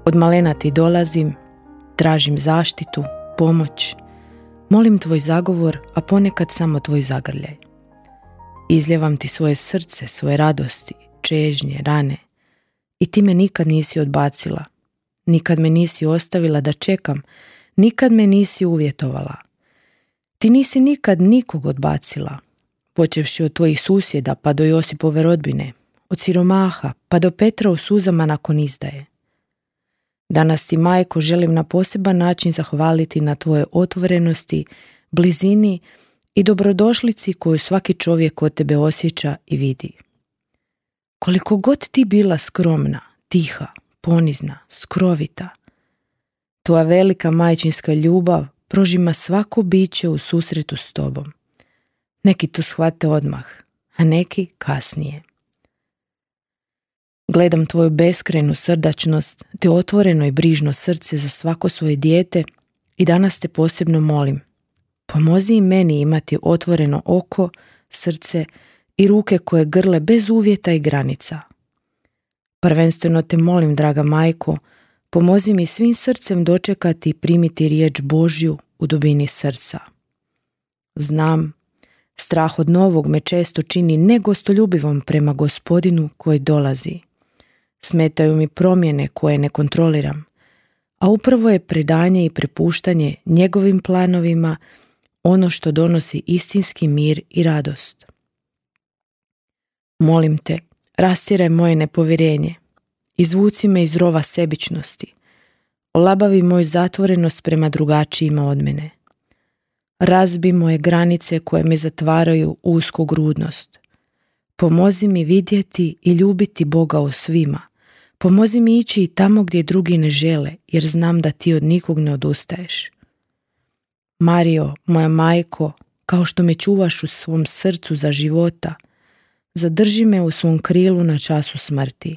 Od malena ti dolazim, tražim zaštitu, pomoć, molim tvoj zagovor, a ponekad samo tvoj zagrljaj. Izljevam ti svoje srce, svoje radosti, čežnje, rane i ti me nikad nisi odbacila, nikad me nisi ostavila da čekam, nikad me nisi uvjetovala. Ti nisi nikad nikog odbacila, počevši od tvojih susjeda pa do Josipove rodbine, od siromaha pa do Petra u suzama nakon izdaje. Danas ti, majko, želim na poseban način zahvaliti na tvojoj otvorenosti, blizini i dobrodošlici koju svaki čovjek od tebe osjeća i vidi. Koliko god ti bila skromna, tiha, ponizna, skrovita, tvoja velika majčinska ljubav prožima svako biće u susretu s tobom. Neki to shvate odmah, a neki kasnije. Gledam tvoju beskrajnu srdačnost te otvoreno i brižno srce za svako svoje dijete i danas te posebno molim. Pomozi i meni imati otvoreno oko, srce i ruke koje grle bez uvjeta i granica. Prvenstveno te molim, draga majko, pomozi mi svim srcem dočekati i primiti riječ Božju u dubini srca. Znam, strah od novog me često čini negostoljubivom prema Gospodinu koji dolazi. Smetaju mi promjene koje ne kontroliram, a upravo je predanje i prepuštanje njegovim planovima ono što donosi istinski mir i radost. Molim te, rastjeraj moje nepovjerenje, izvuci me iz rova sebičnosti, olabavi moju zatvorenost prema drugačijima od mene. Razbi moje granice koje me zatvaraju u usku grudnost. Pomozi mi vidjeti i ljubiti Boga u svima. Pomozi mi ići i tamo gdje drugi ne žele, jer znam da ti od nikog ne odustaješ. Mario, moja majko, kao što me čuvaš u svom srcu za života, zadrži me u svom krilu na času smrti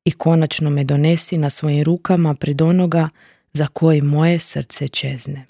i konačno me donesi na svojim rukama pred onoga za koji moje srce čezne.